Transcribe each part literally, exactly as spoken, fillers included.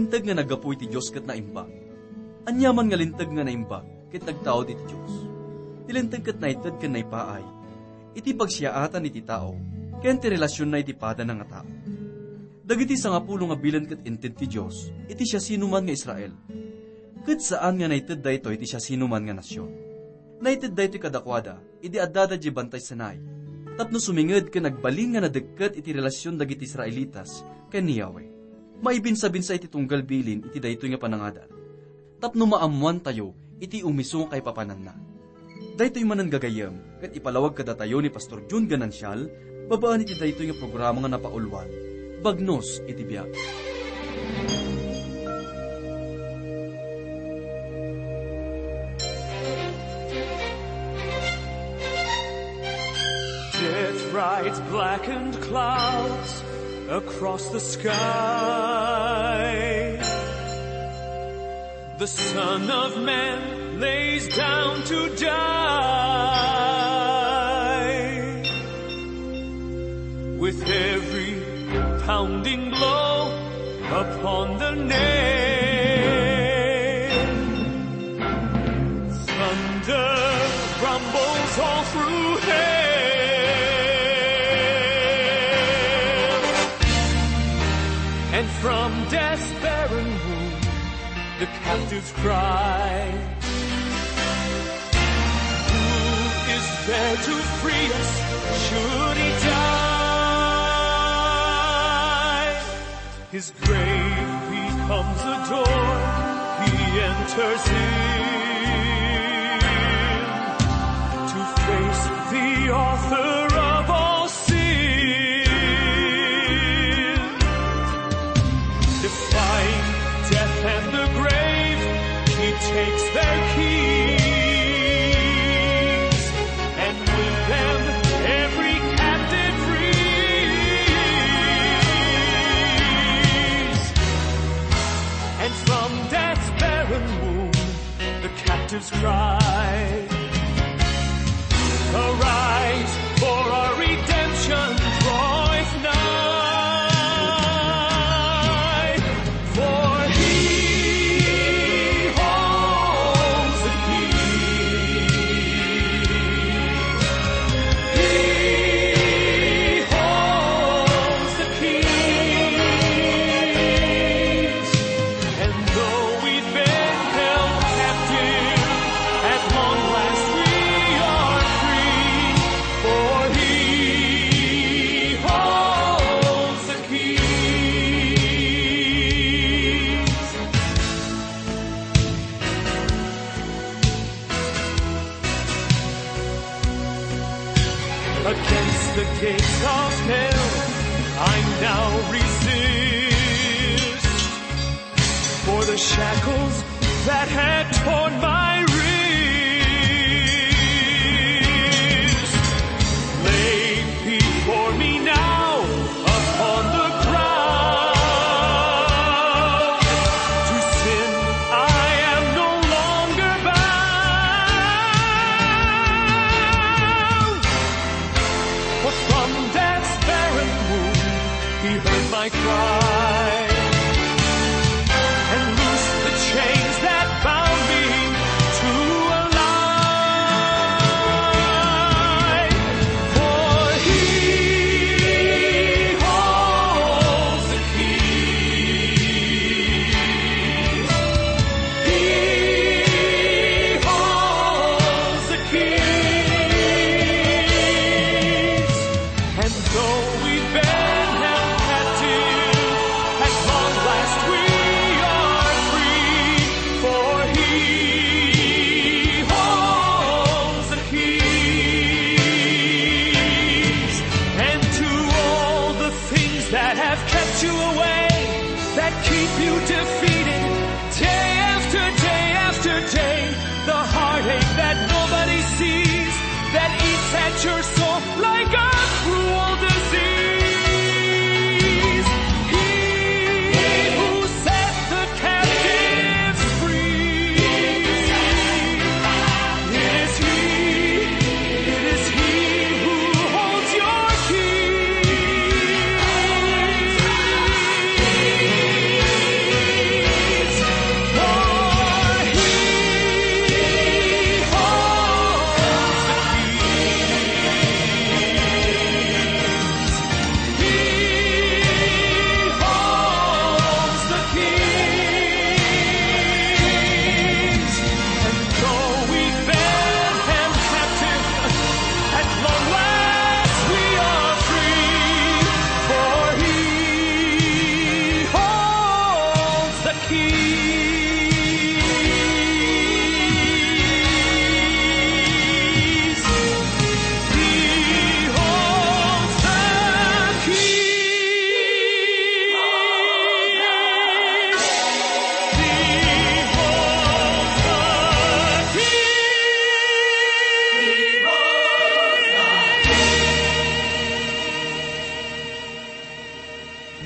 Linteg nga naggapu iti Dios ket naimbag. Aniaman nga linteg nga naimbag ket nagtaud iti Dios. Ti linteg ket naited ken naipaay iti pagsiaatan iti tao ken ti relasionna iti padana nga tao. Dagiti sangapulo nga bilin ket inted ti Dios iti siasinoman nga Israel, ket saan nga naited daytoy iti siasinoman nga nasion. Naited daytoy kadakuada idi addada idiay Bantay Sinai, tapno suminged ken agbalin nga nadekket iti relasion dagiti Israelitas ken ni Yahweh. Maibinsabinsa iti tunggal bilin iti daytoy nga panangadal, tapno maammoantayo iti umiso nga kaipapananna. Daytoy manen gagayyem ket ipalawag kadatayo ni Pastor Jun Ganancial, babaen iti daytoy nga programa nga napauluan, Bagnos iti Biag. Death rides blackened clouds across the sky. The Son of Man lays down to die. With every pounding blow upon the nail, thunder rumbles all through hell. And from death's barren womb, the captives cry, "Who is there to free us, should he die?" His grave becomes a door, he enters in to face the author of all sin. Defying death and the grave, he takes their keys, and with them every captive frees. And from death's barren womb, the captives cry, "Arise, for our redemption draweth nigh." For he holds the keys. He holds the keys. And though we've been held captive, at long last we are free, for he holds the keys. Against the gates of hell I now resist, for the shackles that had torn my wrist laid before me now upon the ground. To sin I am no longer bound, for from death's barren womb he heard my cry and loosed the chains that bound me to a lie. For he holds the keys. He holds the keys. And though we've been held captive, at long last we are free, for he holds the keys. And to all the things that have kept you away, that keep you defeated, day after day after day, the heartache that nobody sees, that eats at your soul like a cruel disease. He who set the captives free, it is he, it is he who holds your keys.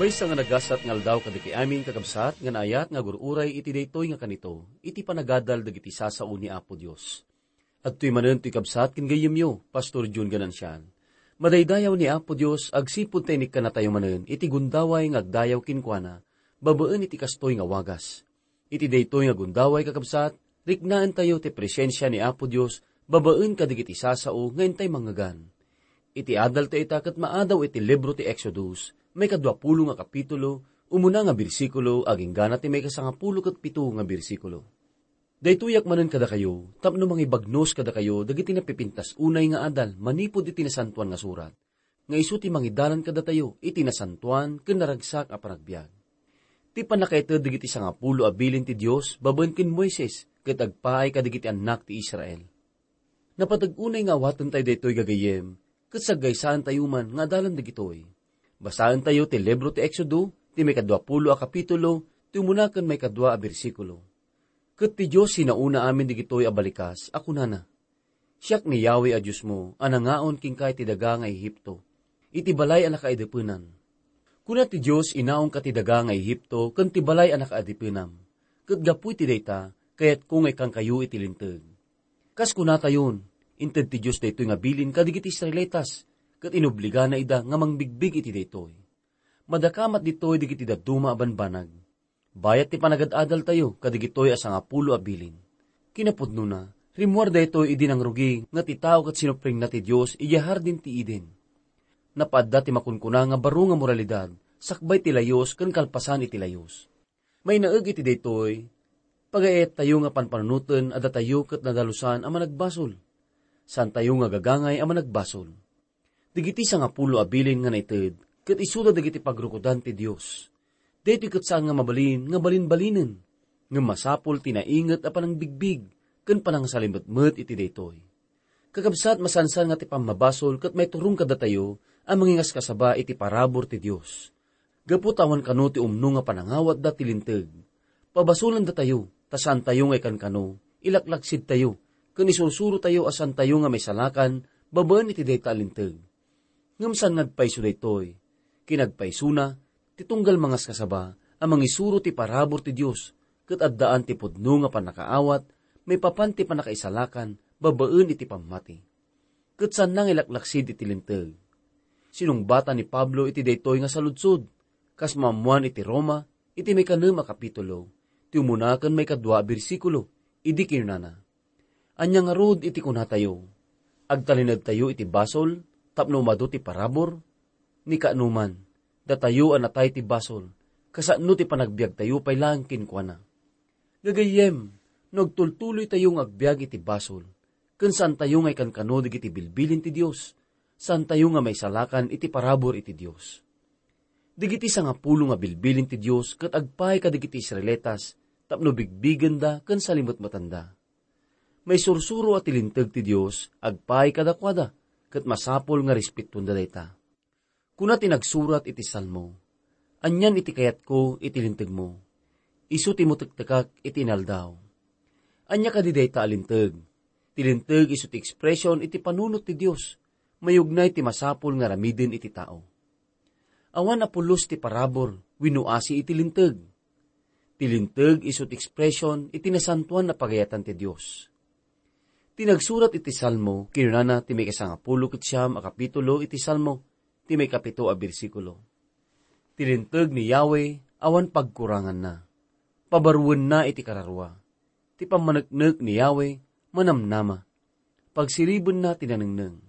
Maysa nga nagasat nga aldaw kadagiti amin, kakabsat, nga naayat nga agur-uray iti daytoy nga kanito, iti panagadal dagiti sasao ni Apo Dios. Adtoy manen toy kabsat ken gayyemyo, Pastor Jun Ganancial. Madaydayaw ni Apo Dios agsipud ta inikkannatayo manen iti gundaway nga agdayaw kenkuana, babaen iti kastoy nga wagas. Iti daytoy nga gundaway, kakabsat, riknaentayo ti presensia ni Apo Dios babaen kadagiti sasao nga intay mangngegan. Iti adaltayo ita ket maadaw iti libro ti Exodus, maikadua pulo nga kapitulo, umuna nga bersikulo, agingga na ti maikasangapulo ket pito nga bersikulo. Daytoyak manen kadakayo, tapno mangibagnos kadakayo dagiti napipintas unay nga adal manipud iti Nasantoan nga Surat, nga isu ti mangidalan kadatayo iti nasantoan ken naragsak a panagbiag. Ti pannakaited dagiti sangapulo a bilin ti Dios babaen ken Moises ket agpaay kadagiti annak ti Israel. Napateg unay nga awatentayo daytoy, gagayyem, ket saggaysaentayo man nga adalan dagitoy. Basaentayo ti libro ti Exodo, ti maikadua pulo a kapitulo, ti umuna ken maikadua a bersikulo. Ket ti Dios sinaona amin dagitoy a balikas a kunana, "Siak ni Yahweh a Diosmo a nangaon kenka iti daga nga Egipto, iti balay a nakaadipenan." Kuna ti Dios, "Inaonka ti daga nga Egipto ken ti balay a nakaadipenam, ket gapu iti dayta, kayatko nga ikkankayo iti Linteg." Kas kunatayon, inted ti Dios daytoy nga bilin kadagiti Israelitas, ket inobligana ida nga mangbigbig iti daytoy. Madakamat ditoy dagiti dadduma a banbanag. Bayat ti panagad-adaltayo kadagitoy a sangapulo a bilin. Kinapudnona, rimmuar daytoy idi nangrugi nga ti tao ket sinupprengna ti Dios idiay Hardin ti Eden. Napaadda ti makunkuna nga baro nga moralidad, sakbay ti layus ken kalpasan iti layus. Mainaeg iti daytoy, pagayattayo nga panpanunoten a datayo ket nadalusan a managbasol. Saantayo nga gagangay a managbasol. Dagiti sangapulo a bilin nga naited, ket isuda dagiti pagrukodan ti Dios. Daytoy ket saan nga mabalin nga balinbalinen, ngem masapul ti nainget a panangbigbig ken panangasalimetmet iti daytoy. Kakabsat, masansan nga ti pammabasol ket maiturong kadatayo a mangingaskasaba iti parabur ti Dios. Gapu ta awan kano ti umno nga panangawatda ti Linteg, pabasolendatayo, ta saantayo nga ikan kano, ilaklaksidtayo, ken isursurotayo a saantayo nga maisalakan babaen iti dayta a Linteg. Ngem saan nga agpayso daytoy. Kinagpaysona, ti tunggal mangaskasaba a mangisuro ti parabur ti Dios, ket addaan ti pudno nga pannakaawat maipapan ti pannakaisalakan babaen iti pammati. Ket saanna nga ilaklaksid iti Linteg. Sinungbatan ni Pablo iti daytoy nga saludsod, kas maammuan iti Roma, iti maikanem a kapitulo, ti umuna ken maikadua a bersikulo, idi kinunana, "Ania ngarud iti kunatayo? Agtalinedtayo iti basol tapno umadu ti parabur? Ni kaanoman, datayo a natay ti basol, kasano ti panagbiagtayo pay laeng kenkuana?" Gagayyem, no agtultuloytayo nga agbiag iti basol, ken saantayo nga ikankano dagiti bilbilin ti Dios, saantayo nga maisalakan iti parabur iti Dios. Dagiti sangapulo nga bilbilin ti Dios ket agpaay kadagiti Israelitas tapno bigbigenda ken salimetmetanda. Maisursuro a ti Linteg ti Dios agpaay kadakuada, ket masapul nga respetuenda dayta. Kuna ti nagsurat iti Salmo, "Anian iti kayatko iti Lintegmo? Isu ti mutektekak iti inaldaw." Ania kadi dayta a Linteg? Ti Linteg isu ti ekspresion iti panunot ti Dios. Mayugnay ti masapul nga aramiden iti tao. Awan a pulos ti parabur wenno asi iti Linteg. Ti Linteg isu ti ekspresion iti nasantoan a pagayatan ti Dios. Ti nagsurat iti Salmo, kinunana ti maikasangapulo ket siam a kapitulo iti Salmo, ti maikapito a bersikulo, "Ti Linteg ni Yahweh awan pagkuranganna. Pabaruenna iti kararua. Ti pammaneknek ni Yahweh manamnama. Pagsiribenna ti nanengneng."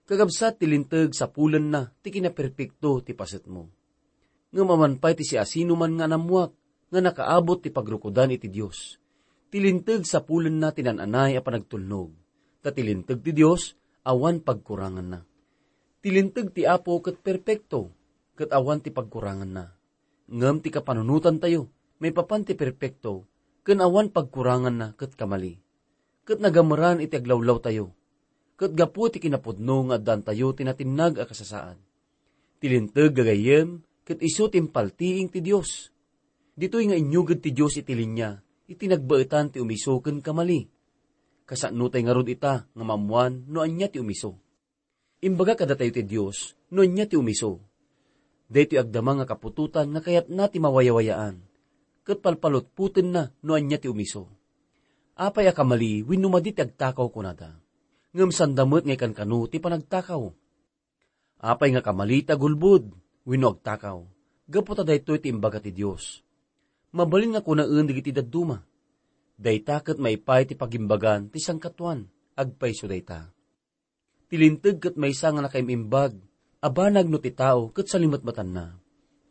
Kakabsat, ti Linteg sapulenna ti kinaperpekto ti pasetmo. Ngem awan pay ti siasinoman nga anammuak nga nakaabot ti pagrukodan iti Dios. Ti Linteg sapulenna ti naan-anay a panagtulnog, ta ti Linteg ti Dios awan pagkuranganna. Ti Linteg ti Apo ket perpekto, ket awan ti pagkuranganna. Ngem ti kapanunotantayo maipapan ti perpekto ken awan pagkuranganna ket kamali, ket nagameran iti aglawlawtayo, ket gapu ti kinapudno nga addaantayo ti natinnag a kasasaad. Ti Linteg, gagayyem, ket isu ti impaltiing ti Dios. Ditoy nga inyuged ti Dios iti linia iti nagbaetan ti umiso ken kamali. Kasano tay ngarud ita nga maammuan no ania ti umiso? Imbaga kadatayo ti Dios no ania ti umiso. Daytoy agdama nga kaputotan nga kayatna ti mawayawayaan, ket palpalutpotenna no ania ti umiso. Apay a kamali wenno madi ti agtakaw, kunada. Ngem sanda met nga ikankano ti panagtakaw. Apay nga kamali ti agulbod wenno agtakaw, gapu ta daytoy ti imbaga ti Dios. Mabalin nga kunaen dagiti dadduma. Dayta ket maipay ti pagimbagan ti sangkatuan, agpayso dayta. Ti linteg ket maysa nga nakaim-imbag a banag no ti tao ket salimetmetanna.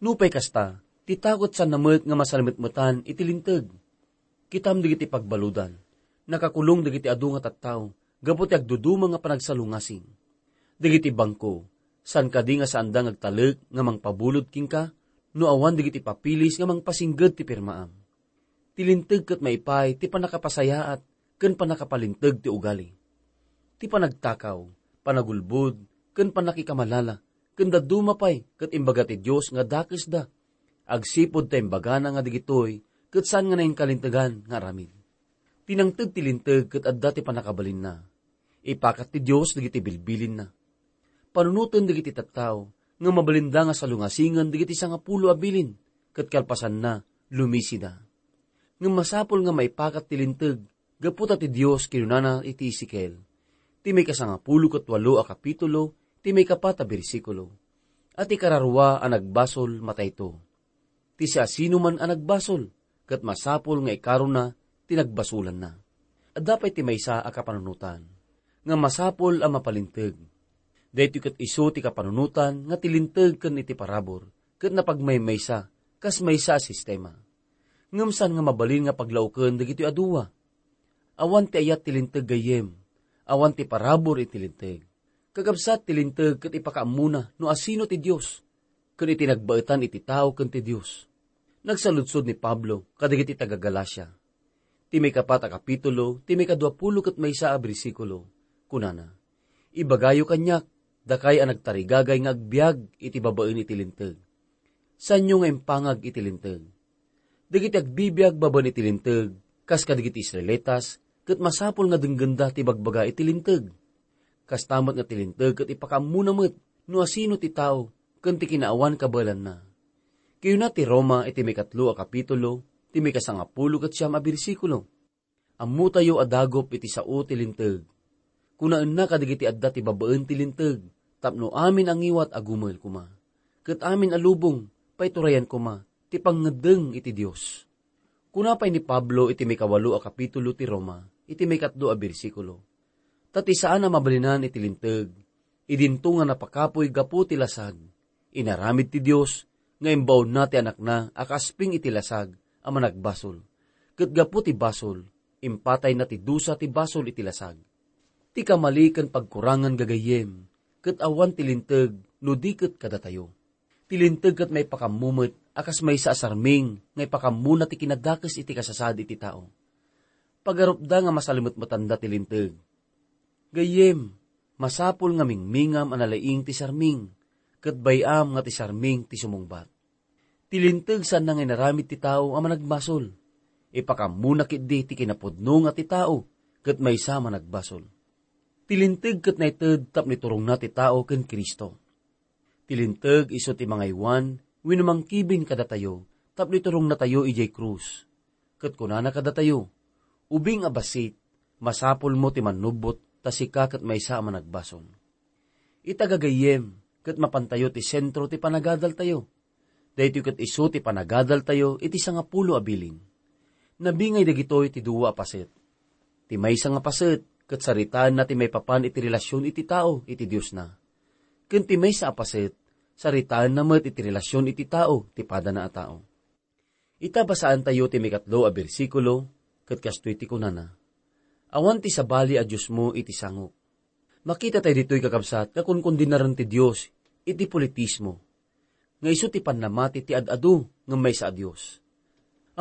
Nupay kasta, ti tao ket saanna met nga masalimetmetan iti linteg. Kitam dagiti pagbaludan. Nakakulong dagiti adu nga tattao gapu ti agduduma nga panagsalungasing. Dagiti bangko, saan kadi nga saanda nga agtalek nga mangpabulod kenka no awan dagiti papeles nga mangpasingged ti pirmaam? Ti linteg ket maipay ti pannakapasayaat ken pannakapalinteg ti ugali. Ti panagtakaw, panagulbod, ken pannakikamalala, ken dadduma pay ket imbaga ti Dios nga dakesda. Agsipud ta imbagana nga dagitoy ket saan nga nainkalintegan nga aramid. Ti nangted ti linteg ket adda ti pannakabalinna. Ipakat ti Dios dagiti bilbilinna. Panunoten dagiti tattao nga mabalinda nga salungasingen dagiti sangapulo a bilin, ket kalpasanna, lumisida. Ngem masapul nga maipakat ti linteg, gapu ta ti Dios kinunana iti Ezekiel, ti maikasangapulo ket walo a kapitulo, ti maikapat a bersikulo, a ti kararua a nagbasol matayto. Ti siasinoman a nagbasol, ket masapul nga ikarona ti nagbasolanna. Adda pay ti maysa a kapanunotan nga masapul a mapalinteg. Daytoy ket isu ti kapanunotan nga ti linteg ken iti parabur ket napagmaymaysa kas maysa a sistema. Ngem saan nga mabalin nga paglaoken dagitoy a dua. Awan ti ayat ti linteg gayyem, awan ti parabur iti linteg. Kakabsat, ti linteg ket ipakaammona no asino ti Dios, ken iti nagbaetan iti tao ken ti Dios. Nagsaludsod ni Pablo kadagiti taga-Galacia. Ti maikapat a kapitulo, ti maikaduapulo ket maysa a bersikulo, kunana, "Ibagayo kaniak, dakay a nagtarigagay nga agbiag iti babaen iti linteg. Saanyo nga impangag iti linteg? Dagiti agbibiag babaen iti linteg, kas kadagiti Israelitas, ket masapul nga denggenda ti bagbaga iti linteg. Kasta met nga ti linteg ket ipakaammona met no asino ti tao ken ti kinaawan kabaelanna." Kinuna ti Roma iti maikatlo a kapitulo, ti maikasangapulo ket siam a bersikulo, "Ammotayo a dagup iti sao ti linteg. Kunaenna kadagiti adda ti babaen ti linteg, tapno amin a ngiwat a gumel koma, ket amin a lubong, paiturayan koma ti pangngeddeng iti Dios." Kuna pay ni Pablo iti maikawalo a kapitulo ti Roma, iti maikatlo a bersikulo, "Ta ti saan a mabalinan iti linteg, idinto nga napakapuy gapu ti lasag, inaramid ti Dios nga imbaonna ti Anakna a kaasping iti lasag a managbasol, ket gapu ti basol, impatayna ti dusa ti basol iti lasag." Ti kamali ken pagkurangan, gagayyem, ket awan ti linteg no di ket kadatayo. Ti linteg ket maipakammo met a kas maysa a sarming nga ipakammona ti kinadakes iti kasasaad iti tao. Pagarupda nga masalimetmetanda ti linteg. Gayyem, masapul nga mingmingam a nalaing ti sarming, ket bay-am nga ti sarming ti sumungbat. Ti linteg saanna nga inaramid ti tao a managbasol. Ipakammona ketdi ti kinapudno nga ti tao ket maysa a managbasol. Ti linteg ket naited tapno iturongna ti tao ken Cristo. Ti linteg isu ti mangaywan wenno mangkibin kadatayo tapno iturongnatayo idiay krus. Ket kunana kadatayo, "Ubing a bassit, masapulmo ti mannubbot ta sika ket maysa a managbasol." Ita, gagayyem, ket mapantayo ti sentro ti panagadaltayo. Daytoy ket isu ti panagadaltayo iti sangapulo a bilin. Nabingay dagitoy ti dua a paset. Ti maysa nga paset ket saritaenna ti maipapan iti relasion iti tao iti Diosna. Ken ti maysa a paset, saritaenna met iti relasion iti tao ti padana a tao. Ita, basaentayo ti maikatlo a bersikulo, ket kastoy ti kunana, "Awan ti sabali a diosmo iti sangok." Makitatayo ditoy, kakabsat, nga kunkundenaren ti Dios iti politismo, nga isu ti pannamati ti ad-adu ngem maysa a Dios.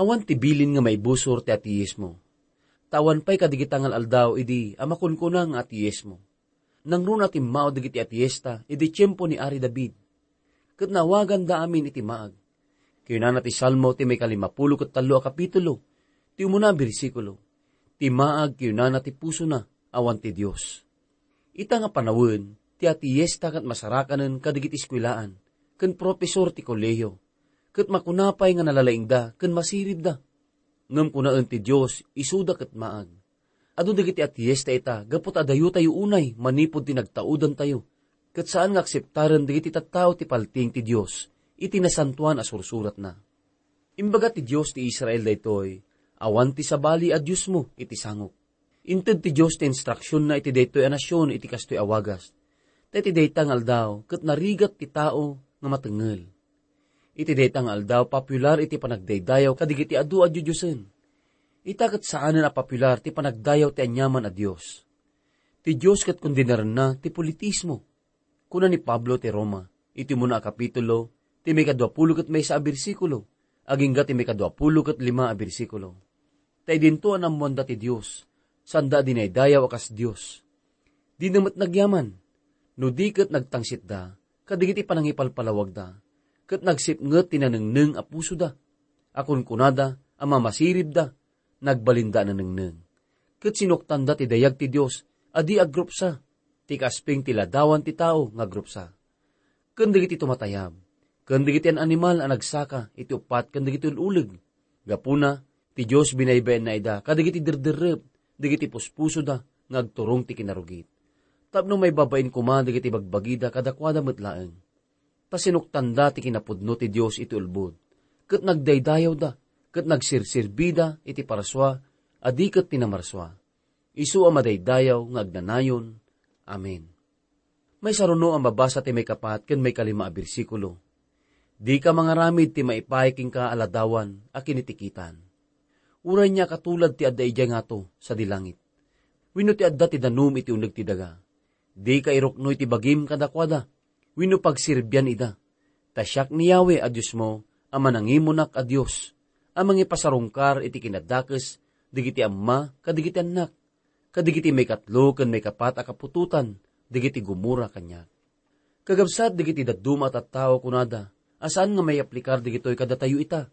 Awan ti bilin nga maibusor ti ateismo. Ta awan pay kadagita nga al-aldaw idi a makunkuna nga ateismo. Nangruna a timmao dagiti ateista idi tiempo ni Ari David, ket naawaganda amin iti maag. Kinunana ti Salmo ti maikalimapulo ket tallo a kapitulo, ti umuna a bersikulo, "Ti maag," kinunana, "ti pusona, awan ti Dios." Ita nga panawen, ti ateista ket masarakanen kadagiti eskuelaan, ken profesor ti kolehio, ket makuna pay nga nalalaingda ken masiribda. Ngem kunaen ti Dios, isuda ket maag. Adu dagiti atiyes ta ita gapu ta adayotayo unay manipud ti nagtaudantayo, ket saan nga akseptaren dagiti tattao ti paltiing ti Dios iti nasantoan a sursuratna. Imbaga ti Dios ti Israel daytoy, "Awan ti sabali a diosmo iti sangok." Inted ti Dios ti instruksionna iti daytoy a nasion iti kastoy a wagas. Ta iti dayta nga aldaw, ket narigat ti tao nga matengngel. Iti dayta nga aldaw, popular iti panagdaydayaw kadagiti adu a dioddiosen. Ita ket saanen a popular ti panagdayaw ti aniaman a dios. Ti Dios ket kondenarenna ti politismo. Kuna ni Pablo ti Roma, iti umuna a kapitulo, ti maikadua pulo ket maysa a bersikulo, agingga ti maikadua pulo ket lima a bersikulo. Ta idinto a naammoanda ti Dios, saanda a dinaydayaw a kas Dios. Dina met nagyaman, no di ket nagtangsitda kadagiti panangipalpalawagda, ket nagsipnget ti nanengneng a pusoda, a kunkunada a mamasiribda, nagbalinda a nanengneng. Ket sinuktanda ti dayag ti Dios a di agrupsa, ti kasping ti ladawan ti tao nga agrupsa. Ken dagiti tumatayab, ken dagiti an-animal a nagsaka iti uppat ken dagiti ul-uleg. Gapuna, ti Dios binaybayanna ida kadagiti derderrep, dagiti puspusoda nga agturong ti kinarugit. Tapno maibabain koma dagiti bagbagida kadakuada met laeng. Ta sinuktanda ti kinapudno ti Dios iti ulbod, ket nagdaydayawda, ket nagsirsirbida iti parsua a di ket ti namarsua. Isu a madaydayaw nga agnanayon. Amen. Maysa runo a mabasa ti maikapat ken maikalima a bersikulo. Dika mangaramid ti maipaay kenka a ladawan a kinitikitan. Uray nia a katulad ti adda idiay ngato sadi langit. Wenno ti adda ti danum iti uneg ti daga. Dika irukno iti bagim kadakuada, wenno pagserbian ida. Ta siak ni Yahweh a Diosmo a manangimunak a Dios, a mangipasarungkar iti kinadakes dagiti amma kadagiti annak, kadagiti maikatlo ken maikapat a kaputotan dagiti gumura kaniak. Kagabsat dagiti dadduma a tattao kunada a saan nga maiaplikar dagitoy kadatayo ita.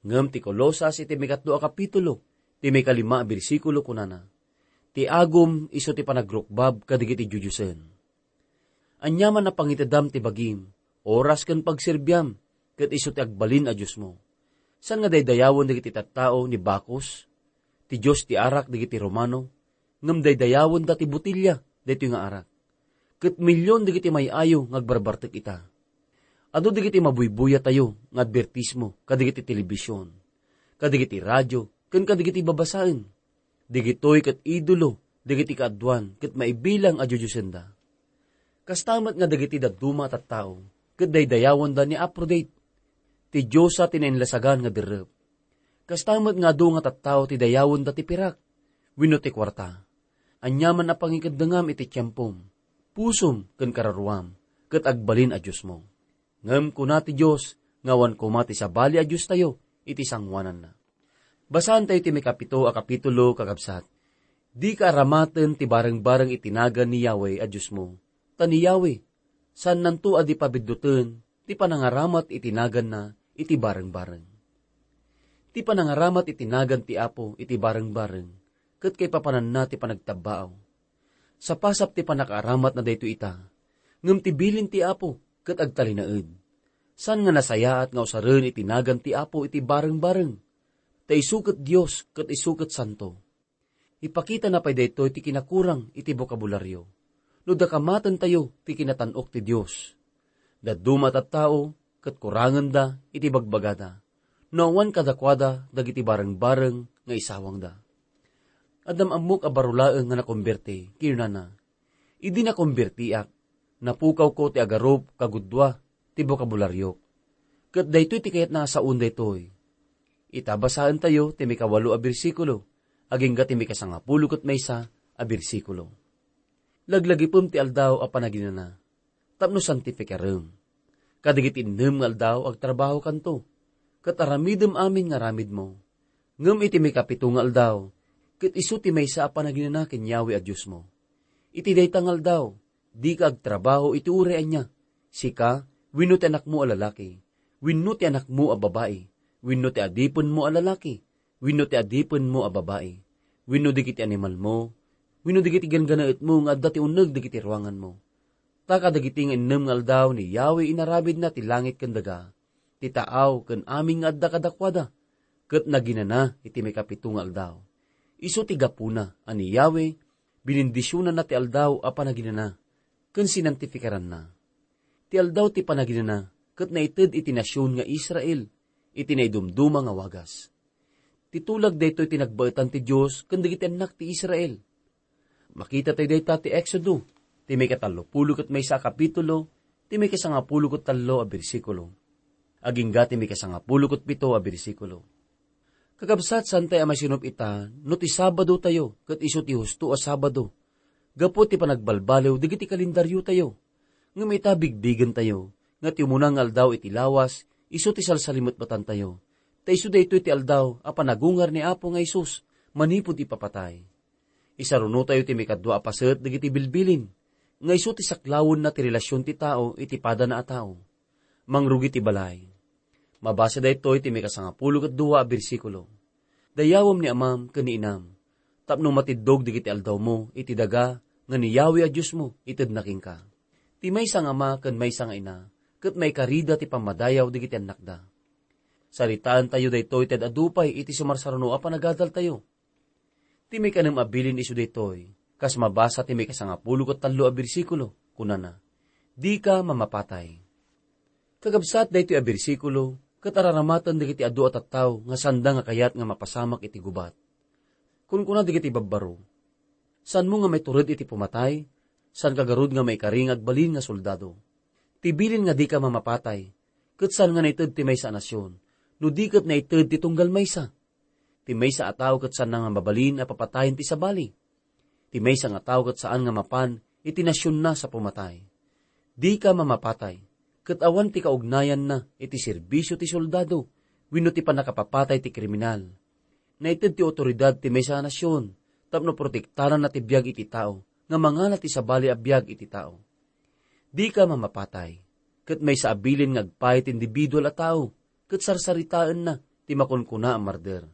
Ngem ti Colosas iti maikatlo a kapitulo, ti maikalima a bersikulo kunana, "Ti agum isu ti panagrukbab kadagiti diodiosen." Aniaman a pangitedam ti bagim, oras ken pagserbiam, ket isu ti agbalin a diosmo. Saan nga daydayawen dagiti tattao ni Bacchus, ti dios ti arak dagiti Romano, ngem daydayawenda ti botelya daytoy nga arak. Ket milion dagiti may-ayo nga agbarbartek ita. Adu dagiti mabuybuyatayo nga adbertismo kadagiti telebision, kadagiti radio, ken kadagiti babasaen. Dagitoy ket idolo dagiti kaaduan ket maibilang a diodiosenda. Kasta met nga dagiti dadduma a tattao ket daydayawenda ni Aphrodite, ti diosa ti nainlasagan nga derrep. Kasta met nga adu nga tattao ti dayawenda ti pirak wenno ti kuarta. Aniaman a pangikeddengam iti tiempom, pusom ken kararuam, ket agbalin a diosmo. Ngem kuna ti Dios nga awan koma ti sabali a diostayo iti sangoananna. Basaentayo ti maikapito a kapitulo, kakabsat. Dika aramaten ti barengbareng iti nagan ni Yahweh a Diosmo, ta ni Yahweh, saannanto a di pabidduten ti panangaramat iti naganna iti barengbareng. Ti panangaramat iti nagan ti Apo iti barengbareng, ket kaipapananna ti panagtabbaaw. Sapasap ti pannakaaramatna daytoy ita, ngem ti bilin ti Apo ket agtalinaed. Saan nga nasayaat nga usaren iti nagan ti Apo iti barengbareng, ta isu ket Dios ket isu ket santo. Ipakitana pay daytoy ti kinakurang iti bokabulario no dakamatentayo ti kinatan-ok ti Dios. Dadduma a tattao ket kurangenda iti bagbagada no awan kadakuada dagiti barengbareng nga isawangda. Adda am-ammok a baro laeng nga nakomberti, kinunana, "Idi nakombertiak, napukawko ti agarup kagudua ti bokabularyo." Ket daytoy ti kayatna a saon daytoy. Ita basaentayo ti maikawalo a bersikulo, agingga ti maikasangapulo ket maysa a bersikulo. Laglagipem ti aldaw a panaginana, tapno santifikarem. Kadagiti innem nga aldaw, agtrabahokanto, ket aramidem amin nga aramidmo. Ngem iti maikapito nga aldaw, ket isu ti maysa a panaginana ken Yahweh a Diosmo. Iti dayta nga aldaw, dika agtrabaho iti uray ania, sika, wenno ti anakmo a lalaki, wenno ti anakmo a babai, wenno ti adipenmo a lalaki, wenno ti adipenmo a babai, wenno dagiti animalmo, wenno dagiti ganggannaetmo nga adda ti uneg dagiti ruanganmo. Ta kadagiti nga innem nga aldaw ni Yahweh inaramidna ti langit ken daga, ti taaw ken amin nga adda kadakuada, ket naginana iti maikapito nga aldaw. Isu ti gapuna a ni Yahweh binindisionanna ti aldaw a panaginana ken sinantifikaranna. Ti aldaw ti panaginana ket naited iti nasion nga Israel iti naidumduma nga wagas. Ti tulag daytoy ti nagbaetan ti Dios ken dagiti annak ti Israel. Makita tayo dayta ti Exodo, ti maikatallopulo ket maysa a kapitulo, ti maikasangapulo ket tallo a bersikulo. Agingga ti maikasangapulo ket pito a bersikulo. Kakabsat, saan tayo a masinup ita no ti Sabado tayo ket isu ti husto a Sabado, gapu ti panagbalbaliw dagiti kalendaryo tayo. Ngem ita, bigbigen tayo nga ti umuna nga aldaw iti lawas, isu ti salsalimetmetan tayo. Ta isu daytoy ti aldaw a panagungar ni Apo nga Jesus manipud ipapatay. Isaruno tayo ti maikadua a paset dagiti bilbilin, nga isu ti saklawenna ti relasion ti tao iti padana a tao. Mangrugi ti balay. Mabasa daytoy ti maikasangapulo ket dua a bersikulo. Dayawem ni amam ken ni inam, tapno matiddog dagiti aldawmo iti daga nga ni Yahweh a Diosmo itedna kenka. Ti maysa nga ama ken maysa nga ina, ket maikarida ti pammadayaw dagiti annakda. Saritaentayo daytoy ti ad-adu pay iti sumarsaruno a panagadaltayo. Ti maikanem a bilin isu daytoy, kas mabasa ti maikasangapulo ket tallo a bersikulo, kunana, "Dika mamapatay." Kakabsat, daytoy a bersikulo ket araramaten dagiti adu a tattao nga saanda nga kayat nga mapasamak iti gubat. Kunkuna dagiti babbaro, "Saanmo nga maitured iti pumatay? Saanka garud nga maikari nga agbalin nga soldado? Ti bilin nga dika mamapatay, ket saan nga naited ti maysa a nasion, no di ket naited ti tunggal maysa? Ti maysa a tao ket saanna nga mabalin a papatayen ti sabali. Ti maysa nga tao ket saan nga mapan iti nasionna sa pumatay. Dika mamapatay, ket awan ti kaugnayanna iti serbisio ti soldado wenno ti pannakapapatay ti kriminal. Naited ti awtoridad ti maysa a nasion tapno protektaranna ti biag iti tao nga mangala ti sabali a biag iti tao. Dika mamapatay, ket maysa a bilin nga agpay ti individual a tao, ket sarsaritaenna ti makunkuna a marder."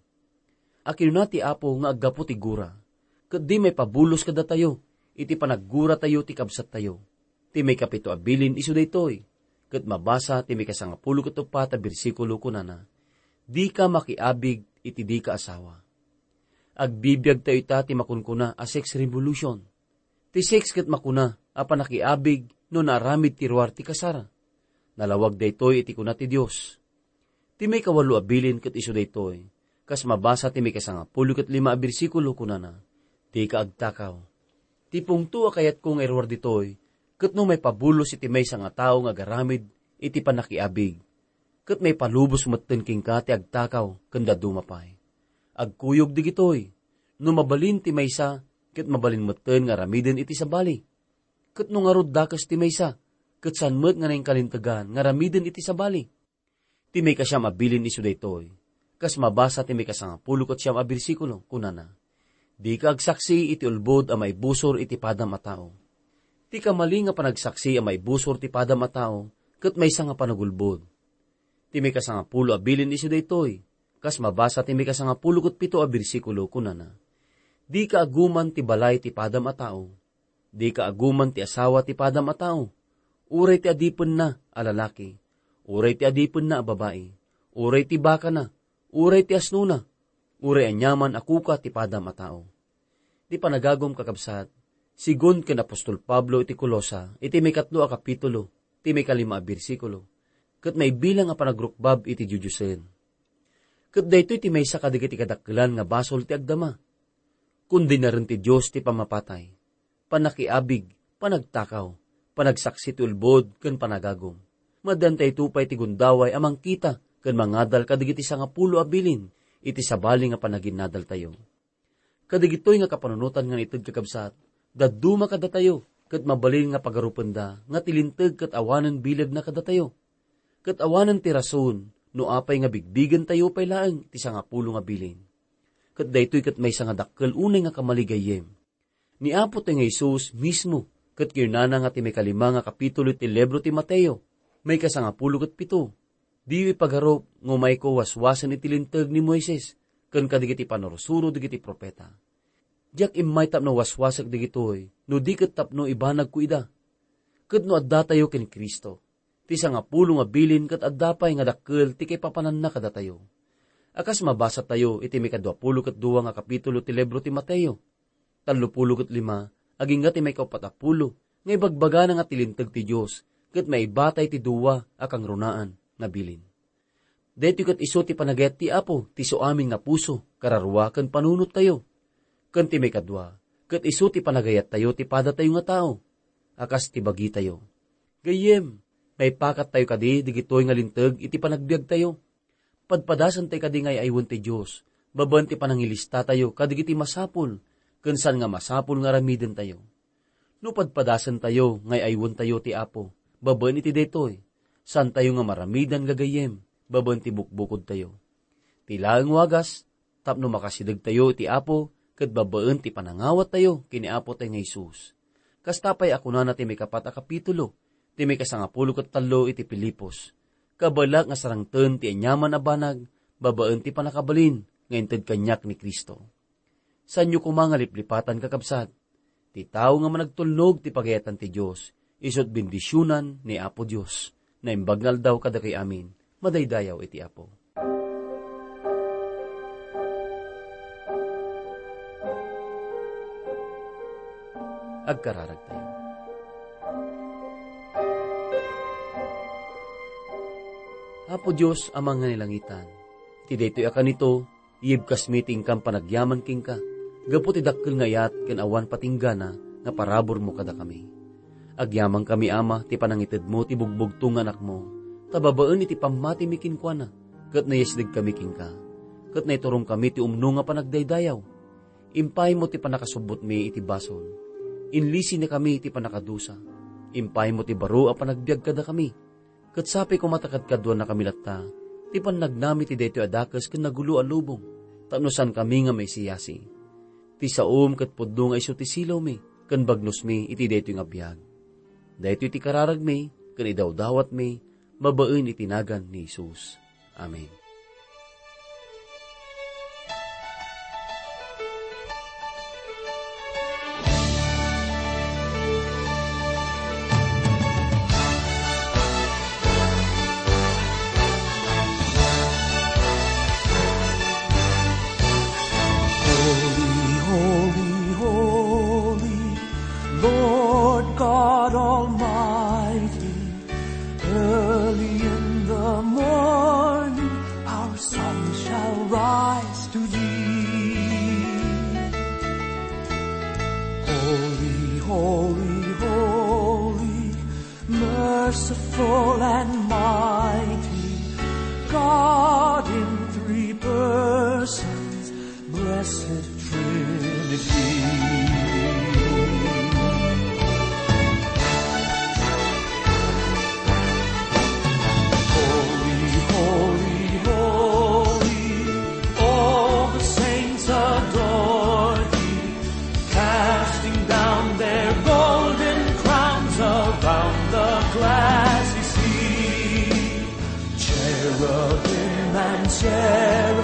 A kinuna ti Apo nga aggapu ti gura, ket di maipabulos kadatayo iti panagguratayo ti kabsattayo. Ti maikapito a bilin isu daytoy, ket mabasa ti maikasangapulo ket uppat a bersikulo, kunana, "Dika makiabig iti dika asawa." Agbibiag tayo ita ti makunkuna a sex revolution. Ti sex ket makuna a panakiabig no naaramid ti ruar ti kasar. Nalawag daytoy iti kuna ti Dios. Ti maikawalo a bilin ket isu daytoy, kas mabasa ti maikasangapulo ket lima a bersikulo, kunana, "Dika agtakaw." Ti pungto a kayatko nga iruar ditoy, ket no maipabulos iti maysa nga tao nga agaramid iti panakiabig, ket maipalubos metten kenka ti agtakaw ken dadduma pay. Agkuyog dagitoy, no mabalin ti maysa, ket mabalin metten nga aramiden iti sabali. Ket no ngarud dakes ti maysa, ket saan met nga nainkalintegan nga aramiden iti sabali. Ti maikasiam a bilin isu daytoy, kas mabasa ti maikasangapulo ket siam a bersikulo, kunana, "Dika agsaksi iti ulbod a maibusor iti padam a tao. Ti kamali nga panagsaksi a maibusor ti padam a tao, ket maysa nga panagulbod." Ti maikasangapulo a bilin isu daytoy, kas mabasa ti maikasangapulo ket pito a bersikulo, kunana, "Dika aguman ti balay ti padam a tao. Dika aguman ti asawa ti padam a tao, uray ti adipenna a lalaki, uray ti adipenna a babai, uray ti bakana, uray ti asnona, uray aniaman a kuka ti padam a tao." Ti panagagum, kakabsat, sigun ken apostol Pablo iti Colosa, iti maikatlo a kapitulo, ti maikalima a bersikulo, ket maibilang a panagrukbab iti diodiosen. Ket daytoy ti maysa kadagiti kadakkelan nga basol ti agdama. Kundinaren ti Dios ti pammapatay, panakiabig, panagtakaw, panagsaksi ti ulbod, ken panagagum. Maddantayto pay ti gundaway a mangkita ken mangadal kadagiti sangapulo a bilin iti sabali nga panaginadaltayo. Kadagitoy nga kapanunotan nga naited, kakabsat, dadduma kadatayo, ket mabalin nga pagarupenda nga ti linteg ket awanen bilegna kadatayo. Ket awanen ti rason no apay nga bigbigentayo pay laeng ti sangapulo nga bilin. Ket daytoy ket maysa nga dakkel unay nga kamali gayyem. Ni Apo tayo nga Jesus mismo ket kinunana nga ti maikalima nga kapitulo ti libro ti Mateo, maikasangapulo ket pito, "Diyo ipagarup nga umayko waswasen iti linteg ni Moises ken kadagiti pannursuro dagiti profeta." Diak immay tapno waswasek dagitoy, no di ket tapno ibanagko ida. Ket no addatayo ken Cristo, ti sangapulo nga bilin ket adda pay nga dakkel ti kaipapananna kadatayo. A kas mabasatayo iti maikadua pulo ket dua nga kapitulo ti libro ti Mateo, tallo pulo ket lima, agingga ti maikaupat a pulo, nga ibagbagana nga ti Linteg ti Dios ket maibatay ti dua a kangrunaan nga bilin. Daytoy ket isu ti panagayat ti Apo ti isuamin nga puso, kararua, ken panunottayo. Ken ti maikadua, ket isu ti panagayattayo ti padatayo nga tao, a kas ti bagitayo. Gayyem, maipakattayo kadi dagitoy nga linteg iti panagbiagtayo. Padpadasentayo kadi nga ay-aywen ti Dios, babaen ti panangilistatayo kadagiti masapul ken saan nga masapul nga aramidentayo. No padpadasentayo nga ay-aywentayo ti Apo babaen iti daytoy, saantayo nga maramidan gagayyem babaen ti bukbukodtayo. Ti laeng wagas, tapno makasidegtayo iti Apo ket babaen ti panangawattayo ken ni Apotayo nga Jesus. Kasta pay a kunana ti maikapat a kapitulo, ti maikasangapulo ket tallo iti Filipos, "Kabaelak nga sarangten ti aniaman a banag babaen ti pannakabalin nga inted kaniak ni Cristo." Saanyo koma nga liplipatan, kakabsat. Ti tao nga managtulnog ti pagayatan ti Dios, isu't bendisionan ni Apo Dios. Naimbag nga aldaw kadakayo amin, madaydayaw iti Apo. Agkararagtayo. Apo Dios, Ama nga ni langitan, iti daytoy a kanito, iyibkasmi ti inkam panagyaman kenka, gapu ti dakkel nga ayat ken awan patinggana nga paraburmo kadakami. Agyamankami, Ama, ti panangitedmo ti bugbugtong nga Anakmo, ta babaen iti pammatimi kenkuana, ket nayasdegkami kenka, ket naiturongkami ti umno nga panagdaydayaw. Impaymo ti pannakasubbotmi iti basol. Inlisinakami iti pannakadusa. Impaymo ti baro a panagbiag kadakami. Ket sapay koma ta kadkaduannakami latta ti pannagnami ti daytoy a dakes ken nagulo a lubong, tapno saankami nga maisiyasi. Ti saom ket pudno nga isu ti silawmi ken bagnosmi iti daytoy nga biag. Daytoy ti kararagmi ken idawdawatmi babaen iti nagan ni Jesus. Amen. Holy, holy, holy, Lord God Almighty, early in the morning our song shall rise to thee. Holy, holy, holy, merciful and mighty, God in three persons, Blessed Trinity. Holy, holy, holy, all the saints adore thee, casting down their golden crowns around the glassy sea. Cherubim and seraphim